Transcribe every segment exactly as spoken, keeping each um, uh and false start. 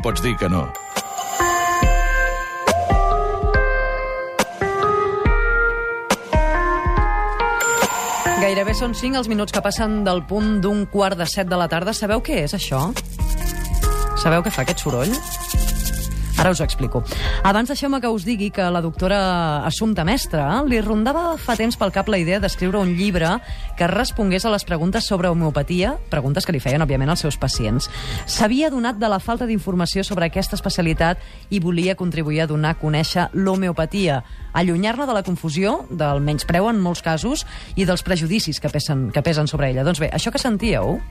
em pots dir que no. Gairebé són cinc els minuts que passen del punt d'un quart de set de la tarda. Sabeu què és, això? Sabeu què fa aquest soroll? Ara us ho explico. Abans deixeu-me que us digui que la doctora Assumpta Mestre li rondava fa temps pel cap la idea d'escriure un llibre que respongués a les preguntes sobre homeopatia, preguntes que li feien, òbviament, als seus pacients. S'havia adonat de la falta d'informació sobre aquesta especialitat i volia contribuir a donar a conèixer l'homeopatia, allunyar-la de la confusió, del menyspreu en molts casos i dels prejudicis que pesen, que pesen sobre ella. Doncs bé, això que sentíeu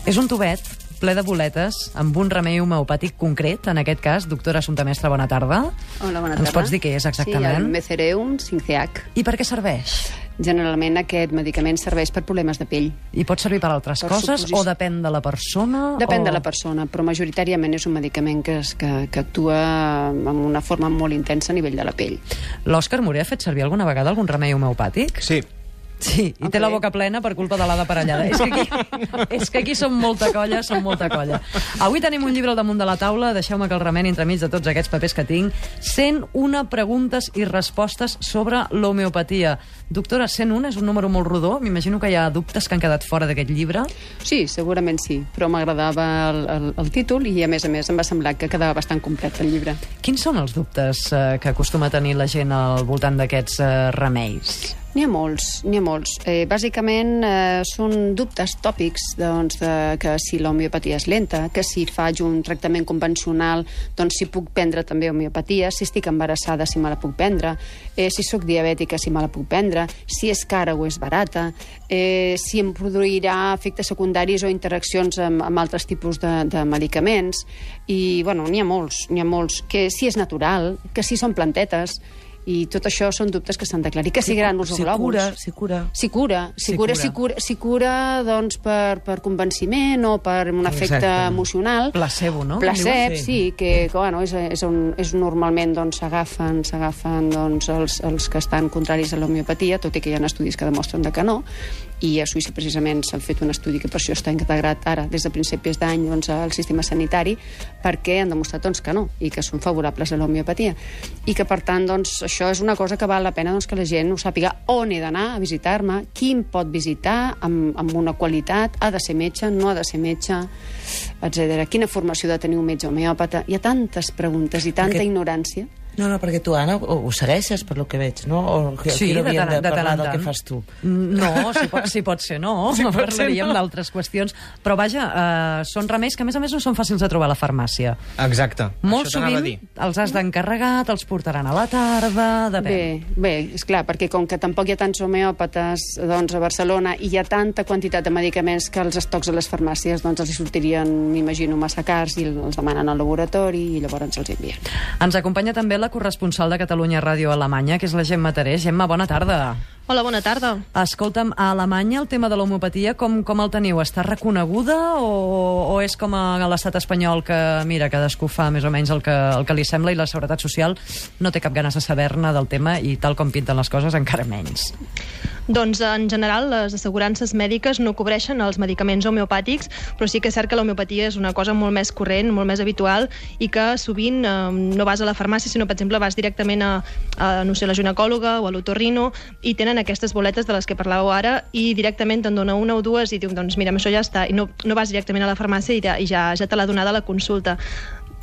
és un tubet ple de boletes, amb un remei homeopàtic concret, en aquest cas. Doctora Assumpta Mestre, bona tarda. Hola, bona tarda. Ens pots dir què és exactament? Sí, el Mezereum cinceac. I per què serveix? Generalment aquest medicament serveix per problemes de pell. I pot servir per altres per coses suposició. o depèn de la persona? Depèn o... de la persona, però majoritàriament és un medicament que, es, que, que actua amb una forma molt intensa a nivell de la pell. L'Òscar Moré ha fet servir alguna vegada algun remei homeopàtic? Sí. Sí, i Okay. té la boca plena per culpa de l'Ada Parellada. És que, aquí, és que aquí som molta colla, som molta colla. Avui tenim un llibre al damunt de la taula, deixeu-me que el remeni entremig de tots aquests papers que tinc. cent una preguntes i respostes sobre l'homeopatia. Doctora, cent un és un número molt rodó, m'imagino que hi ha dubtes que han quedat fora d'aquest llibre. Sí, segurament sí, però m'agradava el, el, el títol i, a més a més, em va semblar que quedava bastant complet el llibre. Quins són els dubtes eh, que acostuma a tenir la gent al voltant d'aquests eh, remeis? N'hi ha molts, n'hi ha molts. Eh, bàsicament eh, són dubtes tòpics, doncs, de, que si l'homeopatia és lenta, que si faig un tractament convencional, doncs si puc prendre també homeopatia, si estic embarassada, si me la puc prendre, eh, si sóc diabètica, si me la puc prendre, si és cara o és barata, eh, si em produirà efectes secundaris o interaccions amb, amb altres tipus de, de medicaments, i, bueno, n'hi ha molts, n'hi ha molts, que si és natural, que si són plantetes, i tot això són dubtes que s'han d'aclarir. Que si grànuls o Si glòbuls. cura, si cura. Si cura, si Si cura, cura. si cura, si cura doncs, per, per convenciment o per un efecte Exacte. emocional. Placebo, no? Placebo, Sí. sí, que, que bueno, és, és, un, és normalment doncs, s'agafen s'agafen doncs, els, els que estan contraris a l'homeopatia, tot i que hi ha estudis que demostren de que no, i a Suïssa precisament s'ha fet un estudi que per això està integrat ara des de principis d'any doncs, al sistema sanitari, perquè han demostrat doncs, que no, i que són favorables a l'homeopatia, i que per tant doncs, això és una cosa que val la pena doncs, que la gent ho sàpiga, on he d'anar a visitar-me, qui em pot visitar amb, amb una qualitat, ha de ser metge, no ha de ser metge, etcètera. Quina formació ha de tenir un metge homeòpata? Hi ha tantes preguntes i tanta Perquè- ignorància. No, no, perquè tu, Anna, ho, ho segueixes, per lo que veig, no? O que, Sí, aquí no de havíem tant- de de tant parlar en del tant. que fas tu. No, si pot, si pot ser no. Si pot ser Parlaríem no. d'altres qüestions. Però vaja, eh, són remeis que a més a més no són fàcils de trobar a la farmàcia. Exacte. Molt Això t'anava a sovint dir. els has d'encarregar, te'ls portaran a la tarda, depèn. Bé, bé, és clar, perquè com que tampoc hi ha tants homeòpates doncs, a Barcelona i hi ha tanta quantitat de medicaments que els estocs a les farmàcies doncs, els hi sortirien, m'imagino, massa cars i els demanen al laboratori i llavors els envien. Ens acompanya també la corresponsal de Catalunya Ràdio a Alemanya, que és la Gemma Terés. Gemma, bona tarda. Hola, bona tarda. Escolta'm, a Alemanya el tema de l'homeopatia com, com el teniu? Està reconeguda o, o és com a l'estat espanyol que, mira, cadascú fa més o menys el que, el que li sembla i la Seguretat Social no té cap ganes de saber-ne del tema i tal com pinten les coses encara menys? Doncs, en general, les assegurances mèdiques no cobreixen els medicaments homeopàtics, però sí que és cert que l'homeopatia és una cosa molt més corrent, molt més habitual, i que sovint eh, no vas a la farmàcia, sinó, per exemple, vas directament a, a no sé, la ginecòloga o a l'otorrino i tenen aquestes boletes de les que parlàveu ara i directament te'n dona una o dues i diu, doncs mira, amb això ja està, i no, no vas directament a la farmàcia i ja, i ja, ja te l'ha donada a la consulta.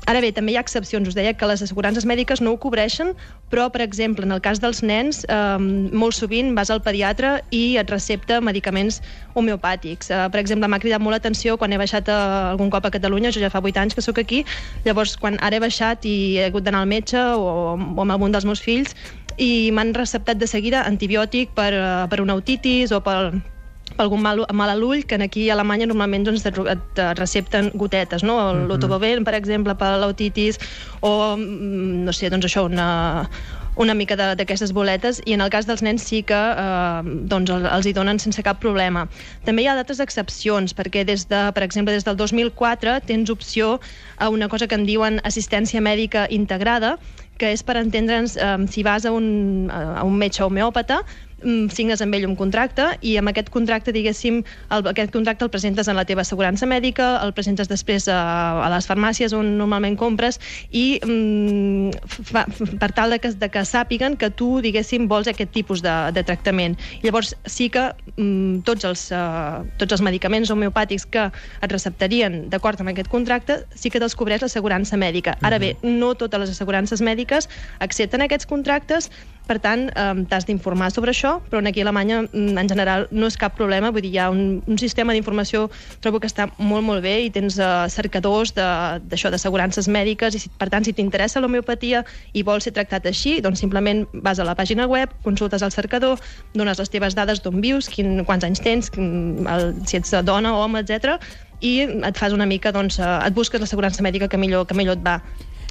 Ara bé, també hi ha excepcions. Us deia que les assegurances mèdiques no ho cobreixen, però, per exemple, en el cas dels nens, eh, molt sovint vas al pediatre i et recepta medicaments homeopàtics. Eh, per exemple, m'ha cridat molt l'atenció quan he baixat a, algun cop a Catalunya, jo ja fa vuit anys que sóc aquí, llavors quan ara he baixat i he hagut d'anar al metge o, o amb algun dels meus fills i m'han receptat de seguida antibiòtic per, per una otitis o per per algun mal, mal a l'ull, que aquí a Alemanya normalment doncs, et, et recepten gotetes, no? L'Otoboven, per exemple, per l'otitis, o, no sé, doncs això, una, una mica d'aquestes boletes, i en el cas dels nens sí que eh, doncs, els hi donen sense cap problema. També hi ha d'altres excepcions, perquè des de, per exemple, des del dos mil quatre tens opció a una cosa que en diuen assistència mèdica integrada, que és per entendre'ns eh, si vas a un, a un metge homeòpata, signes amb ell un contracte i amb aquest contracte, diguéssim, el, aquest contracte el presentes en la teva assegurança mèdica, el presentes després a, a les farmàcies on normalment compres i mm, fa, per tal de que, de que sàpiguen que tu, diguéssim, vols aquest tipus de, de tractament. Llavors sí que mm, tots, els, uh, tots els medicaments homeopàtics que et receptarien d'acord amb aquest contracte sí que te'ls cobreix l'assegurança mèdica. Ara bé, no totes les assegurances mèdiques accepten aquests contractes, per tant, eh, t'has d'informar sobre això, però aquí a Alemanya, en general, no és cap problema. Vull dir, hi ha un, un sistema d'informació, trobo que està molt, molt bé, i tens eh, cercadors d'això, d'assegurances mèdiques, i si, per tant, si t'interessa l'homeopatia i vols ser tractat així, doncs simplement vas a la pàgina web, consultes el cercador, dones les teves dades d'on vius, quin, quants anys tens, quin, el, si ets dona o home, etcètera, i et fas una mica, doncs, eh, et busques l'assegurança mèdica que millor, que millor et va.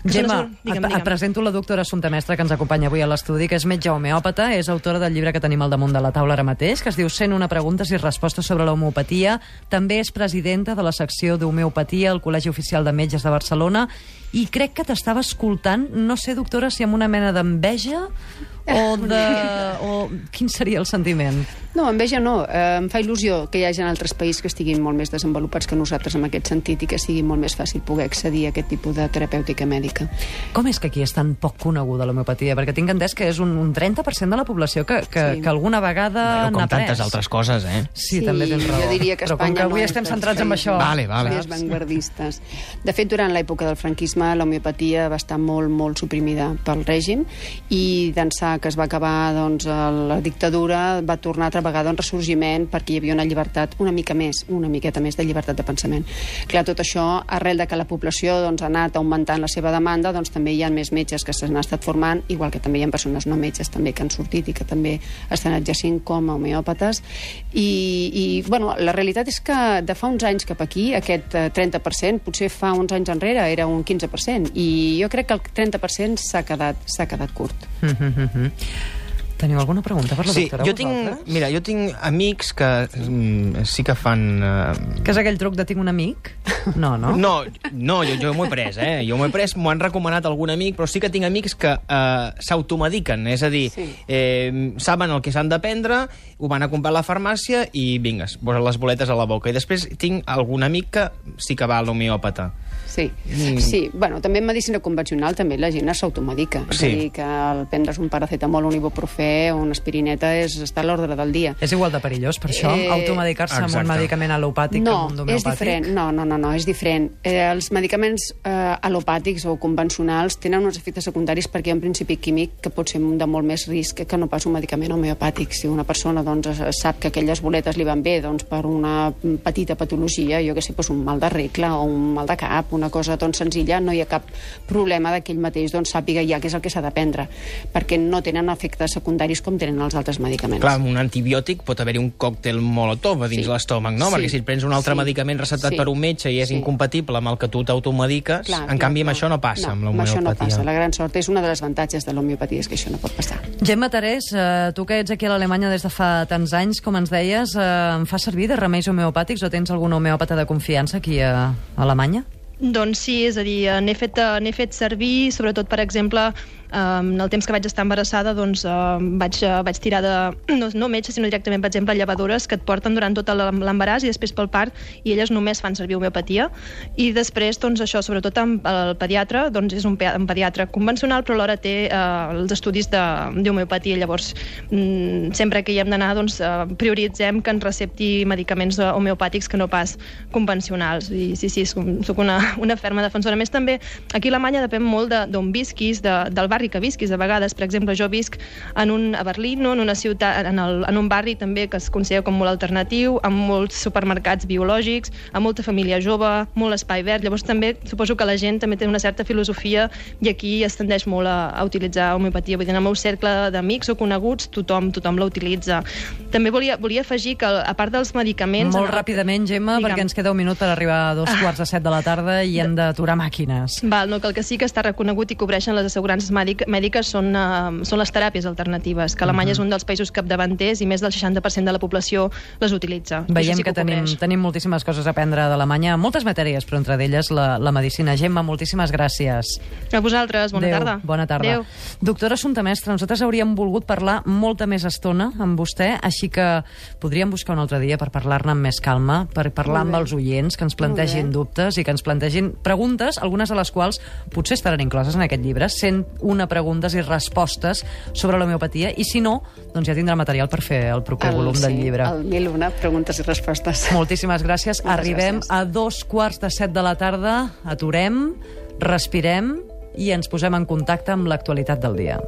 Gemma, digue'm, et, et presento la doctora Assumpta Mestre, que ens acompanya avui a l'estudi, que és metge homeòpata, és autora del llibre que tenim al damunt de la taula ara mateix, que es diu cent una preguntes i respostes sobre l'homeopatia. També és presidenta de la secció d'homeopatia al Col·legi Oficial de Metges de Barcelona, i crec que t'estava escoltant, no sé, doctora, si amb una mena d'enveja o de... o quin seria el sentiment? No, enveja no. Eh, em fa il·lusió que hi hagi altres països que estiguin molt més desenvolupats que nosaltres en aquest sentit i que sigui molt més fàcil poder accedir a aquest tipus de terapèutica mèdica. Com és que aquí és tan poc coneguda l'homeopatia? Perquè tinc entès que és un, un trenta per cent de la població que, que, sí. que alguna vegada bueno, n'ha pres. Com tantes altres coses, eh? Sí, sí, també tens raó. Jo diria que Però com que avui no estem centrats en això... Vale, vale. Més vanguardistes. De fet, durant l'època del franquisme, l'homeopatia va estar molt, molt suprimida pel règim, i d'ençà que es va acabar doncs, la dictadura, va tornar altra vegada un ressorgiment perquè hi havia una llibertat una mica més, una miqueta més de llibertat de pensament. Clar, tot això, arrel de que la població doncs, ha anat augmentant la seva demanda, doncs també hi ha més metges que s'han estat formant, igual que també hi ha persones no metges també que han sortit i que també estan exercint com a homeòpates. I, i bueno, la realitat és que de fa uns anys cap aquí, aquest trenta per cent, potser fa uns anys enrere era un quinze per cent, i jo crec que el trenta per cent s'ha quedat, s'ha quedat curt. Mm-hmm. Teniu alguna pregunta per la sí, doctora? Jo tinc, mira, jo tinc amics que mm, sí que fan... Uh... Que és aquell truc de tinc un amic? No, no? No, no jo, jo m'ho he pres, eh? Jo m'ho he pres, m'ho han recomanat algun amic, però sí que tinc amics que uh, s'automediquen, és a dir, sí. eh, saben el que s'han de prendre, ho van a comprar a la farmàcia i vinga, posen les boletes a la boca. I després tinc algun amic que sí que va a l'homeòpata. Sí, mm. sí. Bueno, també en medicina convencional també la gent s'automedica. Sí. És a dir, que el prendre's un paracetamol, un ibuprofè o una aspirineta és estar a l'ordre del dia. És igual de perillós, per això, eh... automedicar-se amb un medicament al·lopàtic no, que amb un d'homeopàtic? És diferent. No, no, no, no, és diferent. Eh, els medicaments eh, al·lopàtics o convencionals tenen uns efectes secundaris perquè hi ha un principi químic que pot ser de molt més risc que no pas un medicament homeopàtic. Si una persona doncs, sap que aquelles boletes li van bé doncs, per una petita patologia, jo que sé, doncs, un mal de regla o un mal de cap, una cosa doncs, senzilla, no hi ha cap problema que ell mateix doncs, sàpiga ja què és el que s'ha de prendre, perquè no tenen efectes secundaris com tenen els altres medicaments. Clar, amb un antibiòtic pot haver-hi un còctel molotov a dins sí. l'estómac, no? Sí. Perquè si et prens un altre sí. medicament receptat sí. per un metge i és sí. incompatible amb el que tu t'automediques, clar, en clar, canvi clar. amb això no passa, no, amb l'homeopatia. Això no passa. La gran sort és una de les avantatges de l'homeopatia, és que això no pot passar. Gemma Terès, eh, tu que ets aquí a l'Alemanya des de fa tants anys, com ens deies, eh, em fa servir de remeis homeopàtics o tens algun homeòpata de confiança aquí a Alemanya? Doncs sí, és a dir, n'he fet, n'he fet servir, sobretot, per exemple, en el temps que vaig estar embarassada, doncs vaig, vaig tirar de, no, no metge, sinó directament, per exemple, llevadores que et porten durant tot l'embaràs i després pel part, i elles només fan servir homeopatia. I després, doncs això, sobretot amb el pediatre, doncs és un, un pediatre convencional, però alhora té eh, els estudis d'homeopatia. Llavors, mm, sempre que hi hem d'anar, doncs eh, prioritzem que ens recepti medicaments homeopàtics que no pas convencionals. I sí, sí, soc una, una ferma defensora. A més, també, aquí a Alemanya depèn molt d'on visquis, de, del barri que visquis. A vegades, per exemple, jo visc en un, a Berlín, no? en una ciutat, en, el, en un barri també que es considera com molt alternatiu, amb molts supermercats biològics, amb molta família jove, molt espai verd. Llavors també suposo que la gent també té una certa filosofia i aquí es tendeix molt a, a utilitzar homeopatia. Vull dir, en el meu cercle d'amics o coneguts tothom, tothom la utilitza. També volia, volia afegir que, a part dels medicaments... Molt el... ràpidament, Gemma, digue'm, perquè ens queda un minut per arribar a dos quarts de set de la tarda i hem d'aturar màquines. Val, no, que el que sí que està reconegut i cobreixen les assegurances mèdiques mèdiques són, uh, són les teràpies alternatives, que Alemanya uh-huh. és un dels països capdavanters i més del seixanta per cent de la població les utilitza. Veiem sí que, que tenim, cobreix. tenim moltíssimes coses a aprendre d'Alemanya, moltes matèries, però entre d'elles la, la medicina. Gemma, moltíssimes gràcies. A vosaltres, bona Adéu, tarda. Bona tarda. Adéu. Doctora Assumpta Mestre, nosaltres hauríem volgut parlar molta més estona amb vostè, així que podríem buscar un altre dia per parlar-ne amb més calma, per parlar amb els oients, que ens plantegin dubtes i que ens plantegin preguntes, algunes de les quals potser estaran incloses en aquest llibre, cent una preguntes i respostes sobre l'homeopatia, i si no, doncs ja tindrà material per fer el proper El, volum sí, del llibre. el mil una preguntes i respostes. Moltíssimes gràcies. Moltes Arribem gràcies. a dos quarts de set de la tarda, aturem, respirem i ens posem en contacte amb l'actualitat del dia.